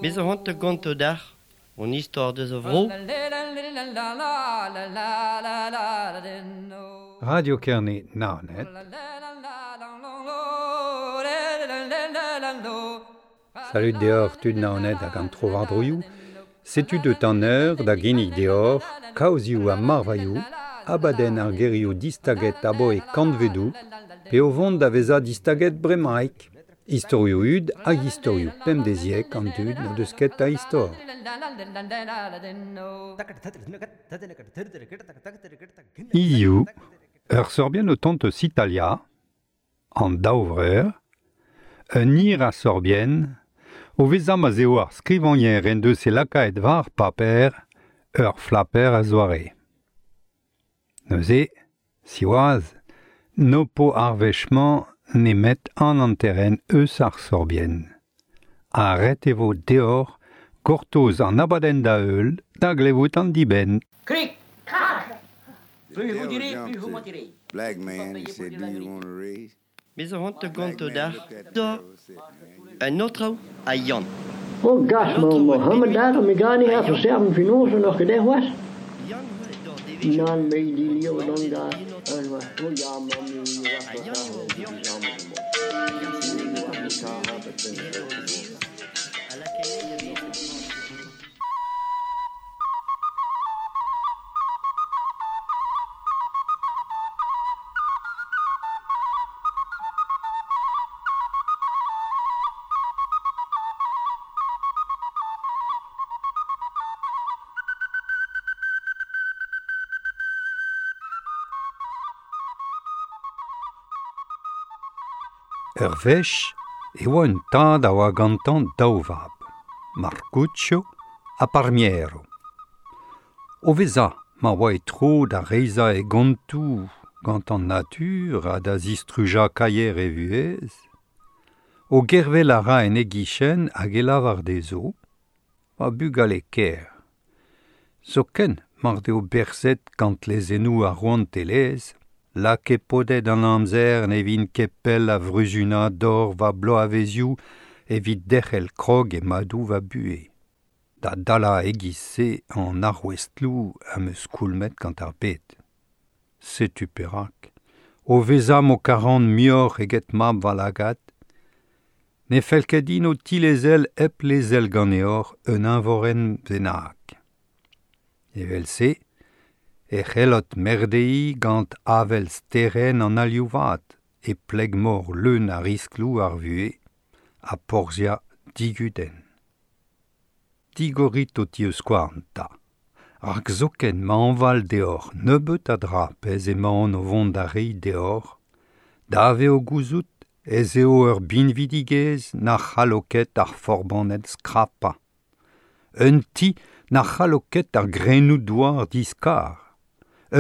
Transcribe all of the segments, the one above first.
Me zo c'hoant da gontañ deoc'h hon istor deus a vro. Radio Kerne Naoned. Salud deoc'h tud Naoned hag an trowardroioù. Setu deut an eur da ginnig deoc'h kaozioù ha marvailhoù, abadenn ar gerioù distaget aboe kantvedoù, pe o vont da vezañ distaget bremaik. Istorioù hud hag istorioù pemdeziek an dud n'o deus ket a istor. Hiziv, ur sorbienn o tont eus Italia, an daou vreur, un hir a sorbienn, o vezañ ma'z eo ar skrivagner en deus e lakaet war paper ur flaper a-zoare. Neuze, siwazh, n'ho po ar wech-mañ nemet an hanterenn eus ar sorbienn. Ha ret e vo deoc'h gortoz an abadenn da-heul da glevout an dibenn. Krik, krak! The Plus vous devil direz, jumped plus vous to mentirez. black Faut man and payer pour said, dire Do la you vérité. want a raise? Me zo c'hoant da Black gontañ man deoc'h looked at the da devil and said, Man, you un aotrou ha Yann. Oh gas, An ma aotrou a Mohammed Beduin daar, mi gani ha ha Yann. verserven finoze nog gedeg was. Yann e dor devezhioù Nan me die oa leeuw dan dibaotet daar. en aotrou. En was, oh ja, man, nu was Ha dat Yann e oa o die vihan. samen Hag ar senegoù Nu an was eus het buhez het e eno o zez a lakae da vezañ. Ur wech e oa un tad a oa gantañ daou vab, Marcuccio ha Parmiero. O vezañ ma oa e tro da reizhañ e gontoù gant an natur ha da zistrujañ kaier e vuhez, o gervel a ra en e gichen hag e lavar dezho, va bugale ker. Zoken mar deo berzet gant lezennoù ar rouantelezh, lakaet podet an amzer ne vin ket pell a vruzhunañ dor va bloavezioù evit derc'hel krog e madoù va buhez. Da dalañ e-giz-se an arouestloù am eus skoulmet gant ar bed. Setu perak. O vezañ m'ho karan muioc'h eget mab va lagad, ne fell ket din ho tilezel hep lezel ganeoc'h un eñvorenn bennak. Evel-se, e c'hellot merdeiñ gant avel sterenn an alioù vat e pleg-mor leun a riskloù ar vuhez ha porzhiañ digudenn. Digorit ho tivskouarn 'ta. Rak zoken ma añval deoc'h nebeut a dra pezh emaon o vont da reiñ deoc'h, dav eo gouzout ez eo ur binvidigezh na c'hallo ket ar forbaned skrapañ. Un ti na c'hallo ket ar grennoù-douar diskar.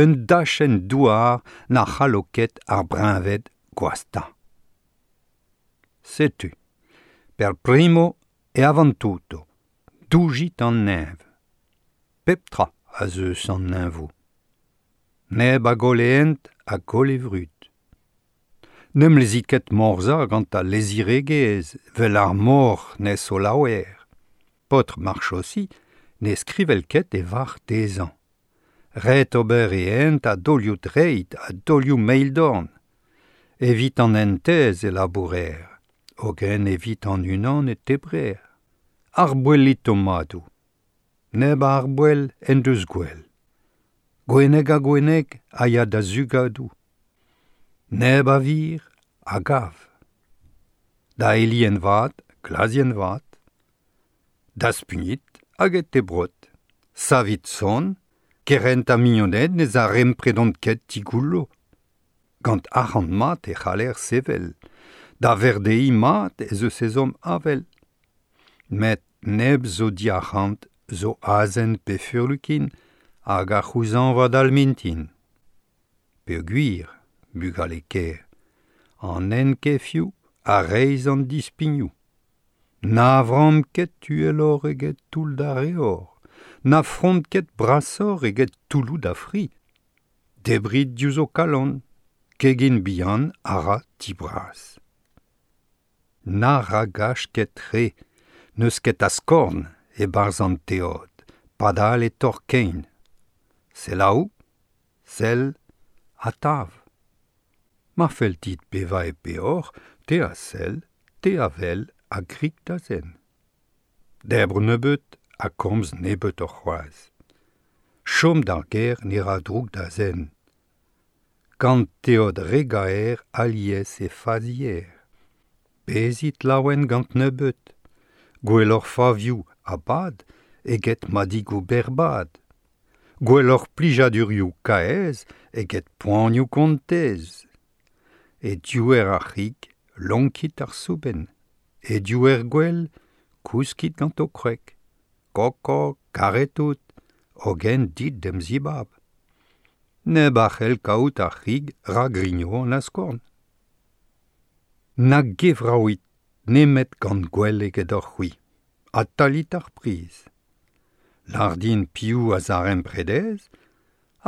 Un dachenn douar na c'hallo ket ar breñved gwastañ. Setu, per primo e avant tutto, doujit an neñv. Pep tra a zeus an neñvoù. Neb a goll e hent a goll e vrud. N'em lezit ket morzañ gant al leziregezh vel ar mor nes o laouer. Paotr marchosi ne skrivel ket e varc'h dezhañ. Ret ober e hent a dolioù dreid, a dolioù meildorn. Evit an hentez e labourer, hogen evit an unan e tebrer. Arboellit ho madoù. Neb a arboell en deus gwell. Gwenneg ha gwenneg a ya da zugadoù. Neb a vir a gav. Da elien vat, glazien vat. Da spunit hag e tebrot. Savit son, kerent ha mignoned ne a rempredont ket tigoullo. Gant arc'hant mat e c'haller sevel. Da verdeiñ mat ez eus ezhomm avel. Met neb zo diarc'hant zo azen pe furlukin hag ar c'houzañv adal mintin. Peogwir, bugale ker, an enkefioù a reizh an dispignoù. Na vramm ket uheloc'h eget toull da reor, na front ket brasoc'h eget toulloù da fri. Debrit diouzh ho kalon, kegin bihan a ra ti bras. Na ragach ket re, n'eus ket askorn e-barzh an teod, padal e torr kein. Selaou, sell ha tav. Ma fell dit bevañ e peoc'h, te a sell, te a wel ha grik da zen. Debr nebeut ha komz nebeutoc'h c'hoazh. Chom d'ar gêr ne ra droug da zen. Gant teod re gaer alies e fazier. Bezit laouen gant nebeut. Gwelloc'h favioù a bad eget madigoù berrbad. Gwelloc'h plijadurioù kaezh eget poanioù kontez. E diouer ar c'hig, lonkit ar soubenn. E diouer gwell, kouskit gant ho kwreg. Koko, karet out, hogen dit d'em zibab. Neb a c'hell kaout ar c'hig ra grigno an askorn. Na gevraouit nemet gant gwell eget hoc'h-c'hwi, ha talit ar priz. Lâr din piv a zarempredez,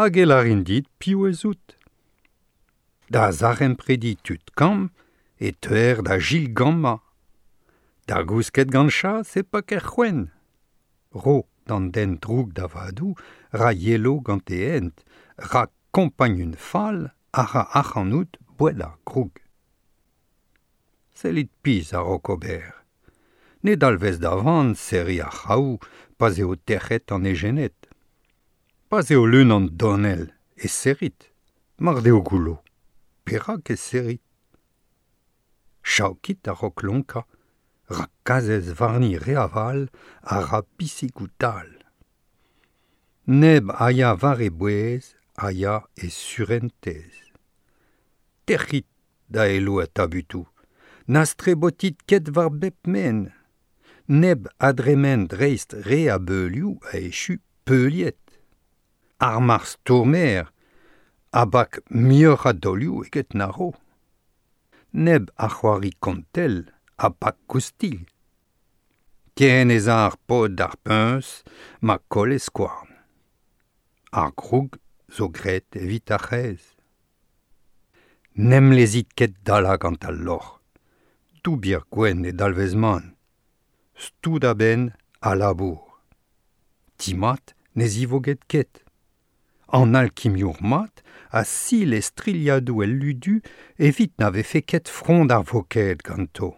hag e lârin dit piv ez out. Da zaremprediñ tud kamm e teuer da jilgammañ. Da gousket gant chas e paker c'hwen. Ro d'an den droug da vadoù ra yelo gant e hent, ra kompagnun fall a ra ac'hanout boued ar groug. Sellit pizh a-raok ober. Ne dalvez da vann serriñ ar c'hraou pa'z eo tec'het an ejened. Pa'z eo leun an donell e serrit, mar deo goullo. Perak e serrit? Chaokit a-raok lonkañ, rak kazez warni re aval a ra pisigoù dall. Neb a ya war e bouez a ya e surentez. Tec'hit da elo ha tabutoù. Na strebotit ket war bep men. Neb a dremen dreist re a beulioù a echu peuliet. Ar marzh tourmer a bak muioc'h a daolioù eget na ro. Neb a c'hoari kontell a bak goustilh. Ken ez a ar paotr d'ar puñs ma koll e skouarn. Ar groug zo graet evit ar c'haezh. N'em lezit ket dallañ gant al lorc'h. Doubier gwenn e dalvez mann. Stou da benn ha labour. Timat ne zivoged ket. An alkimiour mat a sil e strilhadoù el ludu evit na vefe ket frond ar voked ganto.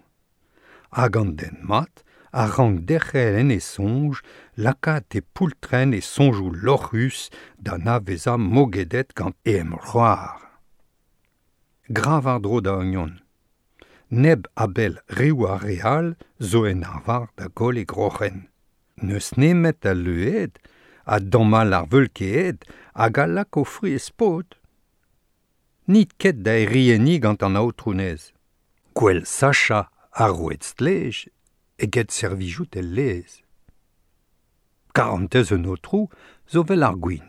Hag an den mat a rank derc'hel en e soñj lakaat e poultrenn e soñjoù lorc'hus da na vezañ mogedet gant e emc'hoar. Gra war-dro da ognon. Neb a-bell reoù ar re all zo en arvar da goll e groc'hen. N'eus nemet al leued a damall ar veulkeed hag a lak o fri e spod. N'it ket da errienniñ gant an aotrounez. Gwell sachañ ar roued-stlej eget servijout el lez. Karantez un aotrou zo 'vel ar gwin.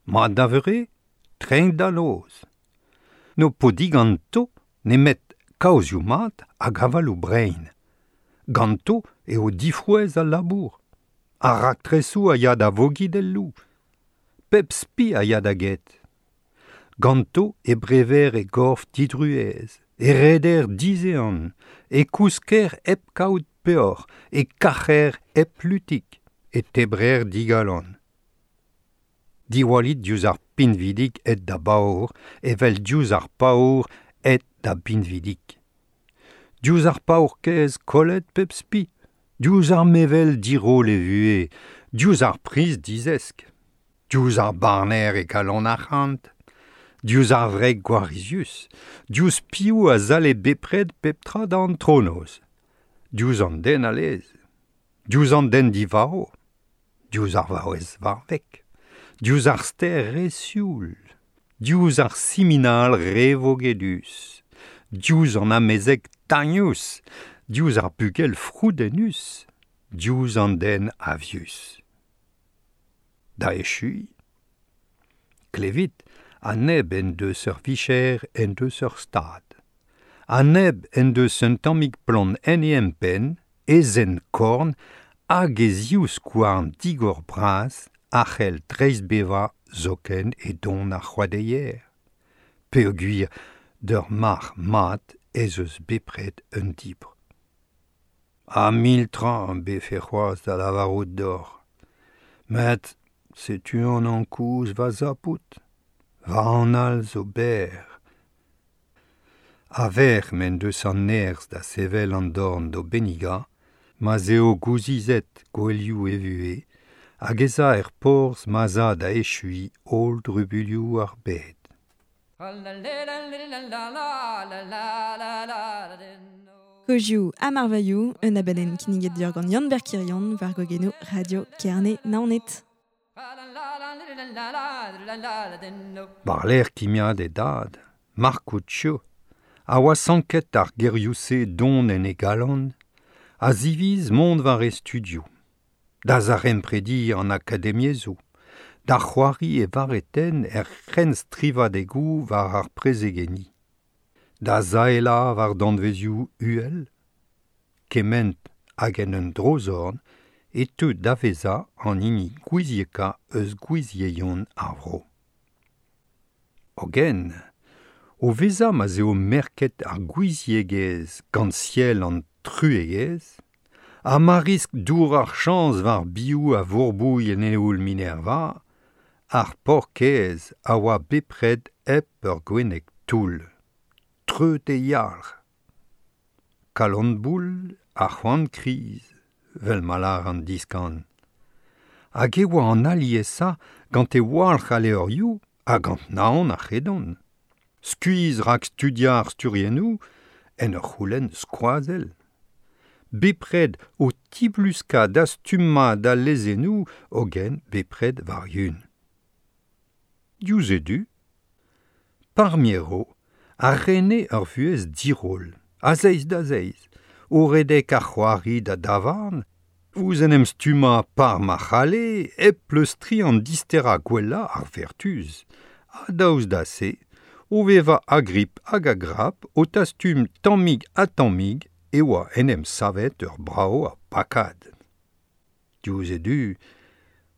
Mat da veure, trenk da noz. N'ho po diganto nemet kaozioù mat hag avaloù brein. Ganto eo difrouezh al labour. Ar raktresoù a ya da vogidelloù. Pep spi a ya da get. Ganto e brever e gorf didruez, e reder dizehan, e kousker hep kaout peoc'h, e kac'her hep lutik, e tebrer digalon. Diwallit diouzh ar pinvidig aet da baour evel diouzh ar paour aet da binvidig. Diouzh ar paourkaezh kollet pep spi, diouzh ar mevel diroll e vuhez, diouzh ar priz dizesk, diouzh ar barner e kalon arc'hant, diouzh ar wreg gwarizius, diouzh piv a zale bepred pep tra da antronoz, diouzh an den a lez, diouzh an den divarv, diouzh ar vaouez varvek, diouzh ar stêr re sioul, diouzh ar siminal re vogedus, diouzh an amezeg tagnous, diouzh ar bugel froudennus, diouzh an den avius. Da echuiñ, klevit an neb en deus ur vicher en deus ur stad. An neb en deus un tammig plont en e empenn, e zen korn hag e zivskouarn digor bras a c'hell dreistbevañ zoken e don ar c'hoadeier. Peogwir d'ur marc'h mat ez eus bepred un dibr. Ha mil tra am befe c'hoazh da lavarout deoc'h. Met setu an ankouz va zapout, va anal zo berr. A-vec'h m'en deus an nerzh da sevel an dorn d'o bennigañ, ma'z eo gouzizet gouelioù e vuhez hag ez a er porzh ma'z a da echuiñ holl drubuilhoù ar bed. Kozioù ha marvailhoù, un abadenn kinniget deoc'h gant Yann-Ber Kirion war gogennoù Radio Kerne Naoned. War-lerc'h kimiad e dad, Marcuccio, a oa sanket ar gerioù-se don en e galon, a ziviz mont war e studioù, da zaremprediñ an akademiezhoù, da c'hoari e varretenn er c'henstrivadegoù war ar prezegenniñ, da zaelañ war danvezioù uhel, kement hag en un drozorn e teu da vezañ an hini gouiziekañ eus gouizieion ar vro. Hogen, o vezañ ma'z eo merket ar gouiziegezh gant siell an truegezh, ha ma riskl dour ar chañs war bioù a vourbouilh en eoul Minerva, ar paourkaezh a oa bepred hep ur gwenneg toull, treut e yalc'h. Kalon boull ha c'hoant kriz, 'vel ma lâr an diskan. Hag e oa an aliesañ gant e walc'h a levrioù ha gant naon ar c'hedon. Skuizh rak studiañ ar sturiennoù en ur c'houlenn skoazell. Bepred o tibluskañ dastumad al lezennoù hogen bepred war-yun. Diouzh e du, Parmiero a rene ur vuhez diroll, a zeiz da zeiz, o redek ar c'hoari da davarn, ouzh en em stummañ par ma c'halle hep pleustriñ an disterañ gwellañ ar vertuz, ha daoust da se, o vevañ a-grip hag a-grap o tastum tammig ha tammig e oa en em savet ur brav a pakad. Diouzh e du,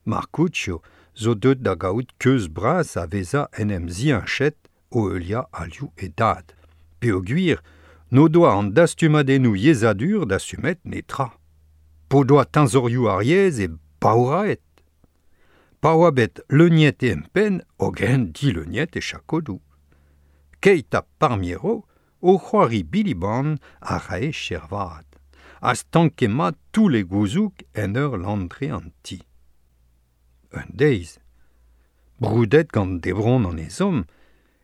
Marcuccio zo deuet da gaout keuz bras a vezañ en em ziheñchet o heuliañ alioù e dad, peogwir n'o doa an dastumadennoù yezhadur dastumet netra. P'o doa teñzorioù ar yezh e paouraet. Pa oa bet leuniet e empenn, hogen dileuniet e chakodoù. Keit ha Parmiero o c'hoari biliban a rae chervat, ha stanke mat toull e gouzoug en ur landre an ti. Un deiz, broudet gant debron an ezhomm,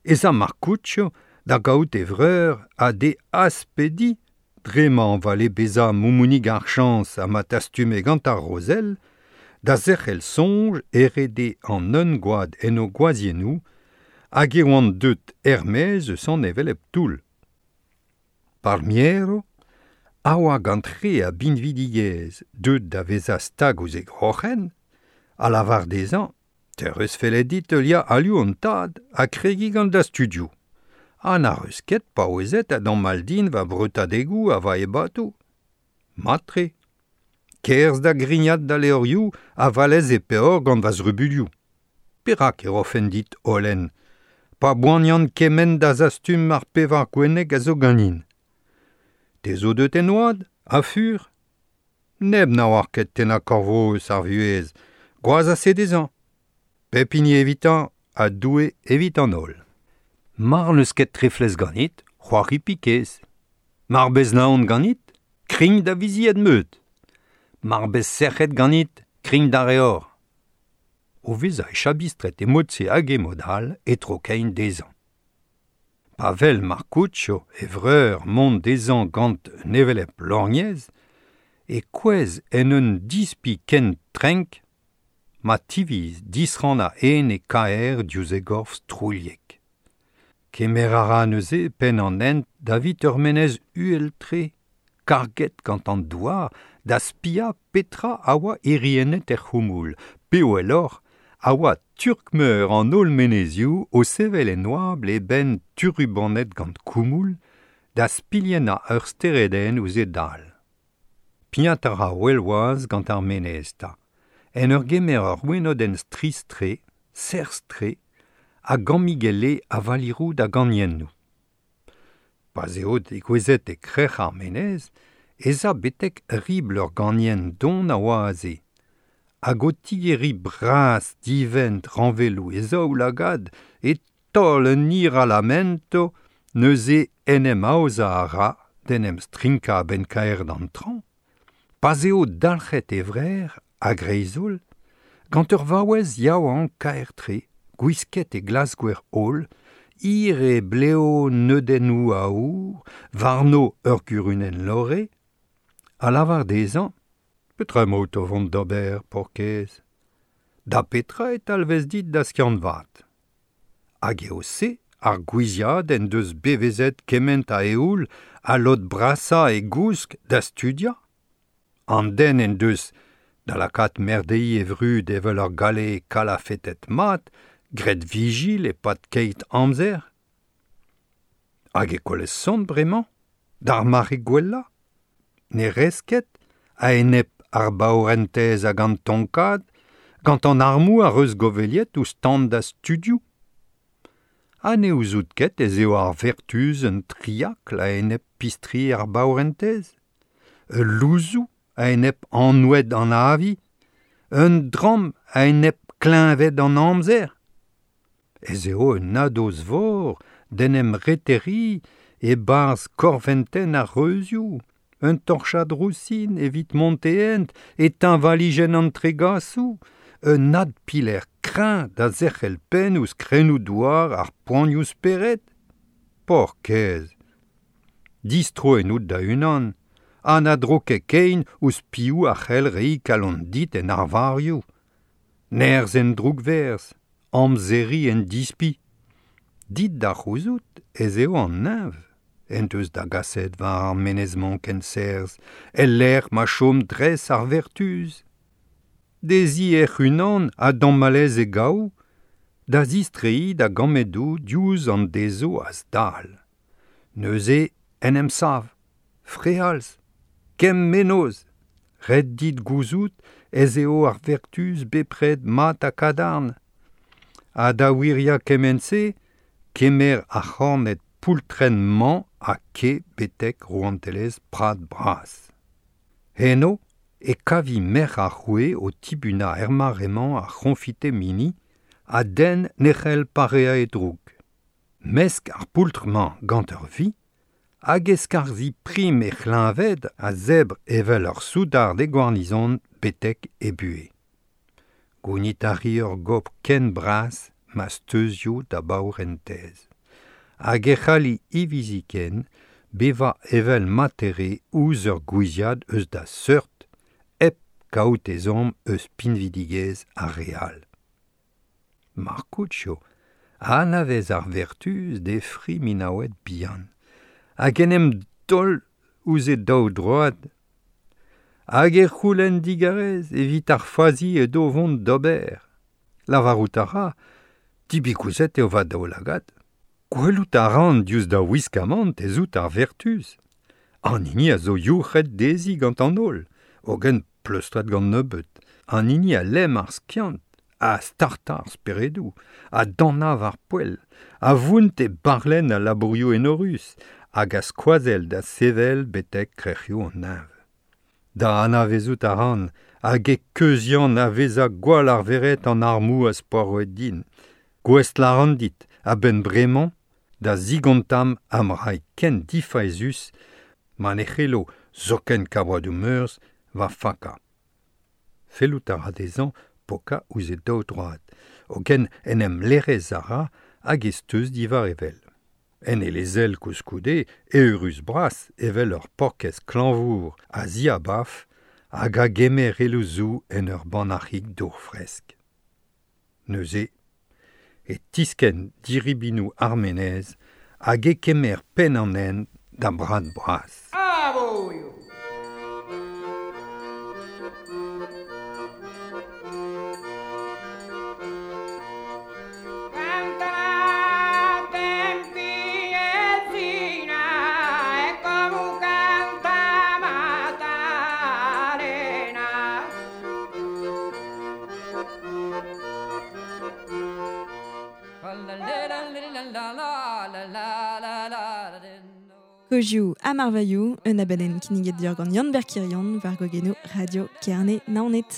ez a Marcuccio da gaout e vreur ha d'e aspediñ dre ma añvale bezañ moumounig ar chañs ha ma tastume gant ar rozell, da zerc'hel soñj e rede an un gwad en o gwazhiennoù hag e oant deut er-maez eus an hevelep toull. Palmiero a oa gant re a binvidigezh deuet da vezañ stag ouzh e groc'hen, a lavar dezhañ Te eus fellet dit heuliañ alioù an tad ha kregiñ gant da studioù. Ha n'ac'h eus ket paouezet a damall din va breutadegoù ha va ebatoù. Mat-tre. Kerzh da grignat da levrioù ha va lez e peoc'h gant va zrubuilhoù. Perak e rofen dit holen pa boanian kement da zastum ar pevar gwenneg a zo ganin. Te zo deut en oad, ha fur. Neb na oar ket tennañ korvo eus ar vuhez, gwazh a se dezhañ. Pep hini evitañ ha Doue evit an holl. Mar n'eus ket treflez ganit, c'hoari pikez. Mar bez naon ganit, krign da vizied meud. Mar bez sec'hed ganit, krign da reor. O vezañ e chabistret e mod-se hag e mod all e tro kein dezhañ. Pa wel Marcuccio e vreur mont dezhañ gant un hevelep lorgnez, e kouezh en un dispi ken trenk ma tiviz disrannañ ene kaer diouzh e gorf strouilhek. Kemer a ra neuze penn an hent davit ur menez uhel-tre, karget gant an douar da spiañ petra a oa iriennet er c'houmoul, peogwelloc'h a oa turk-meur an holl menezioù o sevel en oabl e benn turubanet gant koumoul da spilhennañ ur steredenn ouzh e dal. Pignat a ra well-wazh gant ar menez 'ta, en ur gemer ur wenodenn strizh-tre, serzh-tre, a gammigelle a valirou da ganiennou. Pa zeo degouezet e krec'h ar menez, ez a betek ribl ur ganien don a oa aze. Hag o tigeri bras divent ranvelou e zaoulagad e taol un hir a lamento neuze en em aoza a ra d'en em strinka a-benn kaer d'an traoñ. Pa zeo dalc'het e vrer a greizoul, gant ur vaouez yaouank kaer-tre, gwisket e glasgwer holl, hir e bleo neudennoù aour, warno ur gurunenn lore, a lavar dezhañ, petra emaout o vont d'ober, paourkaezh? Da petra e talvez dit da skiant vat? Hag eo se ar gouiziad en deus bevezet kement a eoul a lod brasañ e gousk da studiañ? An den en deus da lakaat merdeiñ e vrud evel ur gale kalafetet mat, graet vigil e-pad keit amzer? Hag e kollez sont bremañ, d'ar mare gwellañ? Ne rez ket a-enep ar baourentez hag an tonkad, gant an armoù ar eus goveliet ouzh tan da studioù? Ha ne ouzout ket ez eo ar vertuz un triakl a-enep pistri ar baourentez? Ul louzoù a-enep anoued an avi? Un dramm a-enep kleñved an amzer? Ez eo un nadoz-vor d'en em reteriñ e-barzh korventenn ar reuzioù, un torchad rousin evit mont e hent e teñvalijenn an tregasoù, un adpiler kreñv da zerc'hel penn ouzh krennoù-douar ar poanioù spered? Paourkaezh! Distro ennout da-unan, ha na dro ket kein ouzh piv a c'hell reiñ kalon dit en arvarioù. Nerzh en droukverzh, amzeriñ en dispi. Dit da c'houzout ez eo an neñv en deus da gaset war ar menez-mañ ken serzh, el lec'h ma chom dres ar vertuz. Dezhi hec'h-unan ha damallez e gaou, da zistreiñ da gammedoù diouzh an dezo a-stal. Neuze en em sav, frealz, kemm mennozh, ret dit gouzout ez eo ar vertuz bepred mat ha kadarn. Ha da wiriañ kement-se, kemer ar c'horned poultrenn-mañ ha ke betek rouantelezh Prad Bras. Eno e kavi merc'h ar roue o tibunañ er mare-mañ ar c'hoñfite mini ha den ne c'hell pareañ e droug. Mesk ar poultr-mañ gant ur vi hag e skarzhi prim e c'hleñved a zebr evel ur soudard e gwarnizon betek e buhez. Gounit a ri ur gopr ken bras ma steuzioù da baourentez. Hag e c'halli hiviziken bevañ evel matere ouzh ur gouiziad eus da seurt hep kaout ezhomm eus pinvidigezh ar re all. Marcuccio a anavez ar vertuz d'e fri minaoued bihan, hag en em daol ouzh e daou droad, hag e c'houlenn digarez evit ar fazi edo vont d'ober. Lavarout a ra, dibikouzet eo va daoulagad. Gwelout a ran diouzh da wiskamant ez out ar vertuz. An hini a zo youc'het dezhi gant an holl, hogen pleustret gant nebeut. An hini a lemm ar skiant, a starta ar speredoù, a danav ar poell, a vount e barlenn al labourioù enorus, hag a skoazell da sevel betek krec'hioù an neñv. Da anavezout a ran, hag e keuzian a vezañ gwall arveret an armoù a 'z poa roet din. Gouestl a ran dit, a-benn bremañ, da zigontamm am ray ken difaezhus ma ne c'hello zoken kaouadoù meurzh va fakañ. Fellout a ra dezhañ pokañ ouzh e daou droad, hogen en em lerez a ra hag e steuz diwar e wel. En e lezel koulskoude, eürus-bras evel ur paourkaezh klañvour a ziabaf hag a gemer e louzoù en ur bannac'hig dour fresk. Neuze e tiskenn diribinoù ar menez hag e kemer penn an hent da Brad Bras. Kozioù ha marvailhoù, un abadenn kinniget deoc'h gant Yann Berkirion war gogenoù Radio Kerne Naoned.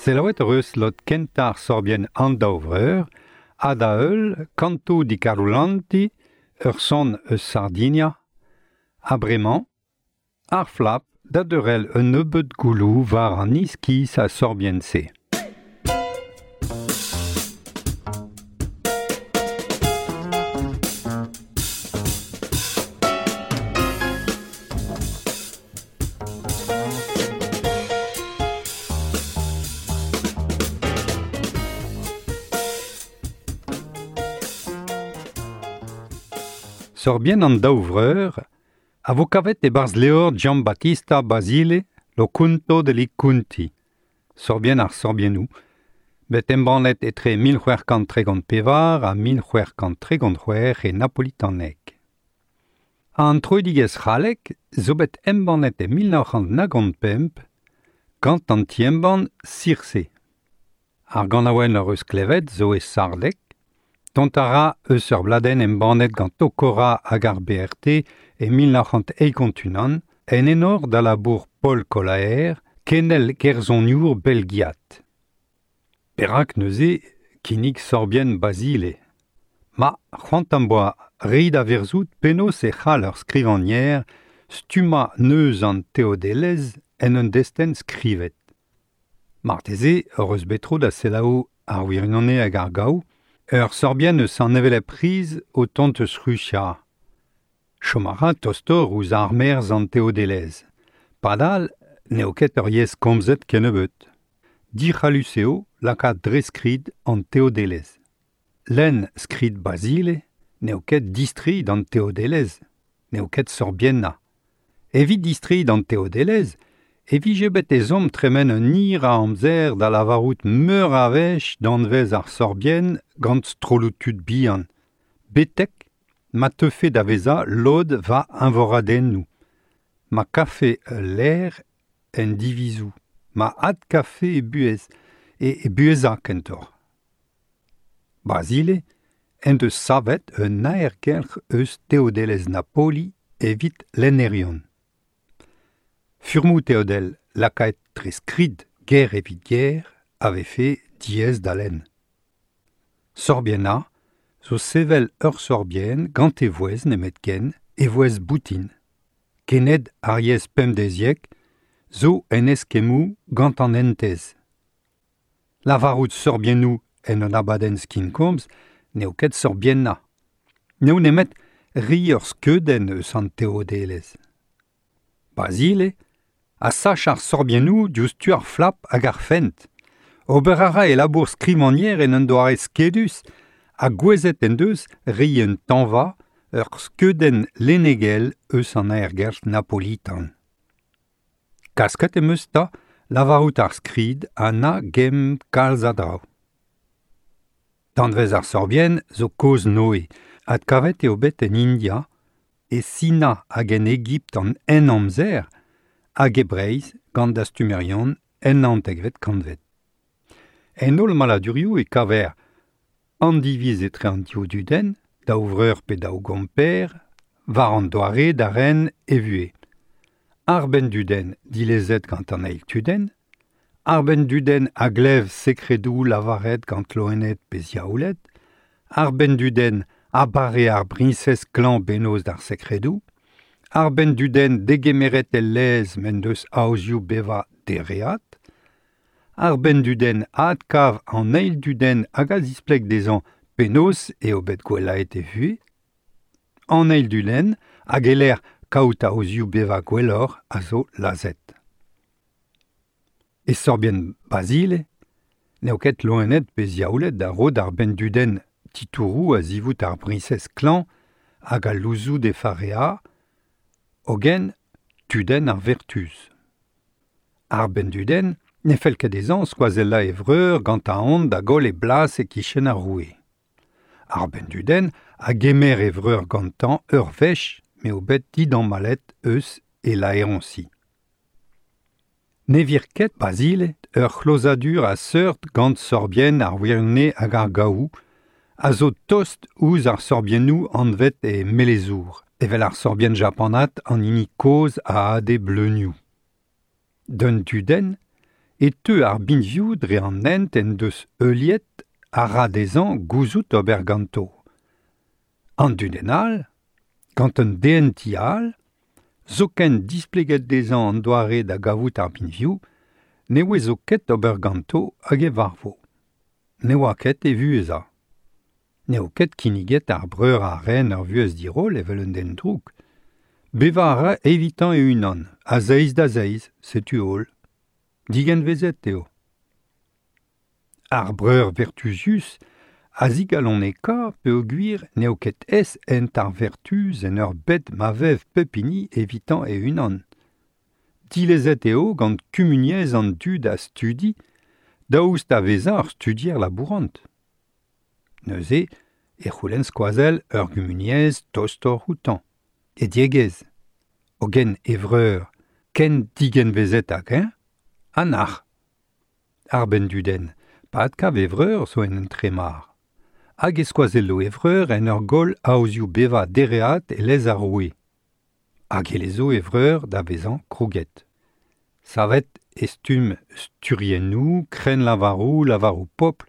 Selaouet eus lot kentar sorbien an daou vreur, ha da heul Canto di Carulanti, ur son eus Sardinia, ha bremañ, ar flap da deurel un nebeud gouloù war an iskis a sorbien-se. Sorbien an daou vreur a vo kavet e-barzh levr Giambattista Basile lo Cunto degli Cunti, Sorbien ar Sorbiennoù, bet embannet etre 1634 ha 1636 e napolitaneg. An troidigezh c'hallek zo bet embannet e 1995 gant an ti-embann Circé. Ar ganaouenn ur eus klevet zo e sardeg, Dont a ra eus ur bladenn embannet gant Tokora hag ar BRT e 1981 en enor da labour Paul Colaer, kenel gerzoniour belgiat. Perak neuze kinnig sorbien Basile. Ma c'hoant am boa reiñ da verzout penaos e c'hall ur skrivagner stummañ neuz an teodelezh en un destenn skrivet. Marteze ur eus bet tro da selaou ar wirionez hag ar gaou, Ur sorbien eus an hevelep priz o tont eus Rusia. Chom a ra tostor ouzh armerzh an teodelezh. Padal n'eo ket ur yezh komzet kennebeut. Dic'hallus eo lakaat dre skrid an teodelezh. Lenn skrid Basile n'eo ket distreiñ d'an teodelezh, n'eo ket sorbiennañ. Evit distreiñ d'an teodelezh e vije bet ezhomm tremen un hir a amzer da lavarout meur a wech danvez ar sorbien gant strolloù tud bihan. Betek ma teufe da vezañ lod va eñvoradennoù, ma kafe ul lec'h en divizoù, ma adkafe e buhez e buhezañ kentoc'h. Basile en deus savet un aergelc'h eus teodelezh Napoli evit lennerion. Furmoù teodel lakaet dre skrid ger evit ger a vefe diaes da lenn. Sorbienna zo sevel ur sorbien gant e vouezh nemetken e vouezh boutin. Kened ar yezh pemdeziek zo en eskemmoù gant an hentez. Lavarout sorbiennoù en un abadenn skinkomz n'eo ket sorbienna. N'eo nemet ri ur skeudenn eus an teodelezh. Basile, a sach ar sorbiennoù diouzh tu ar flap hag ar fent. Ober a ra e labour skrivagner en un doare skedus ha gouezet en deus reiñ un tañva ur skeudenn lennegel eus an aergelc'h napolitan. Kasket em eus 'ta lavarout ar skrid ha na gemm kalz a draoù. Danvez ar sorbienn zo kozh-Noe. Adkavet eo bet en India, e Sina hag en Egipt an Henamzer hag e Breizh gant dastumerion en naontekvet kantved. En holl maladurioù e kaver an diviz etre an div dudenn, daou vreur pe daou gomper, war an doare da ren e vuhez. Ar benndudenn dilezet gant an eil tudenn, ar benndudenn a glev sekredoù lavaret gant loened pe ziaouled, ar benndudenn a bare ar briñsez klañv bennozh d'ar sekredoù, ar benndudenn degemeret el lez m'en deus aozioù bevañ dereat, ar benndudenn a adkav an eil dudenn hag a zispleg dezhañ penaos eo bet gwellaet e vuhez, an eil dudenn hag e-lec'h kaout aozioù bevañ gwelloc'h a zo lazhet. E sorbienn Basile, n'eo ket loened pe ziaouled da ro d'ar benndudenn titouroù a-zivout ar briñsez klañv hag al louzoù d'he fareañ, hogen tudenn ar vertuz. Ar benndudenn ne fell ket dezhañ skoazellañ e vreur gant aon da goll e blas e-kichen ar roue. Ar benndudenn a gemer e vreur gantañ ur wech m'eo bet didammallet eus e laeroñsi. Ne vir ket Basile ur c'hlozadur a seurt gant sorbienn ar wirionez hag ar gaou, a zo tost ouzh ar sorbiennoù anvet e melezour, evel ar sorbienn japanat an hini kozh a hade bleunioù. D'un dudenn e teu ar binvioù dre an hent en deus heuliet a ra dezhañ gouzout ober ganto. An dudenn all, gant un DNT all, zoken displeget dezhañ an doare da gavout ar binvioù, ne ouezo ket ober ganto hag e varvo. Ne oa ket e vuhezañ. N'eo ket kinniget ar breur a ren ur vuhez diroll evel un den drouk. Bevañ a ra evitañ e-unan, a zeiz da zeiz, setu holl. Digenvezet eo. Ar breur vertuzius a zigaloneka peogwir n'eo ket aes hent ar vertuz en ur bed ma vev pep hini evitañ e-unan. Dilezet eo gant kumuniezh an dud a studi, daoust da vezañ ur studier labourant. Neuze e c'houlenn skoazell ur gumuniezh tostoc'h outañ, e diegezh. Hogen e vreur, ken digenvezet hag eñ, a nac'h. Ar benndudenn, pa adkav e vreur zo en entremar. Hag e skoazello e vreur en ur goll aozioù bevañ dereat e lez ar roue. Hag e lezo e vreur da vezañ krouget. Savet e stumm sturiennoù, krennlavaroù, lavaroù pobl,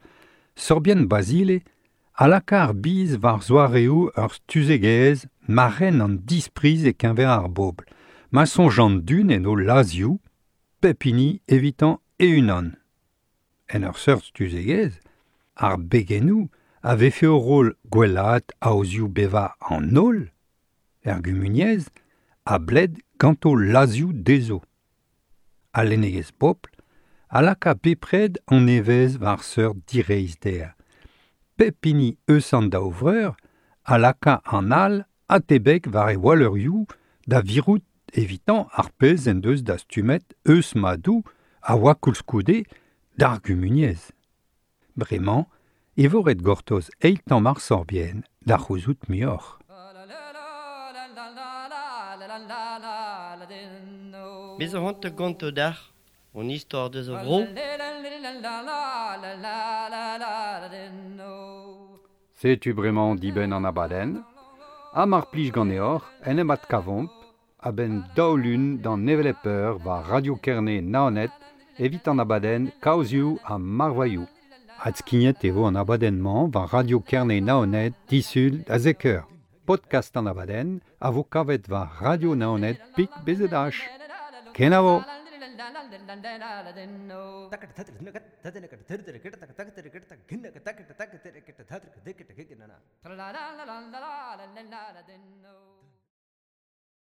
sorbienn Basile a laka ar biz war zoareoù ur stuzegezh ma ren an dispriz e-keñver ar bobl, ma soñj an dud en o lazioù, pep hini evitañ e-unan. En ur seurt stuzegezh, ar begennoù a vefe o roll gwellaat aozioù bevañ an holl er gumuniezh a bled ganto lazioù dezho. Al lennegezh pobl a laka bepred an evezh war seurt direizhder. Pep hini eus an daou vreur a laka an all atebek war e walleurioù da virout evitañ ar pezh en deus dastumet eus madoù a oa koulskoude d'ar gumuniezh. Bremañ e vo ret gortoz eil tamm ar sorbienn da c'houzout muioc'h. Bez zo c'hoant da gontañ deoc'h hon istor deus ar vro. Setu bremañ dibenn an abadenn. Ha mar plij ganeoc'h en em adkavomp a-benn daou lun d'an hevelep eur war Radio Kerne Naoned evit an abadenn Kaozioù ha Marvailhoù. Adskignet e vo an abadenn-mañ war Radio Kerne Naoned disul da zek eur. Podcast an abadenn a vo kavet war Radio Naoned pik BZH. Kenavo!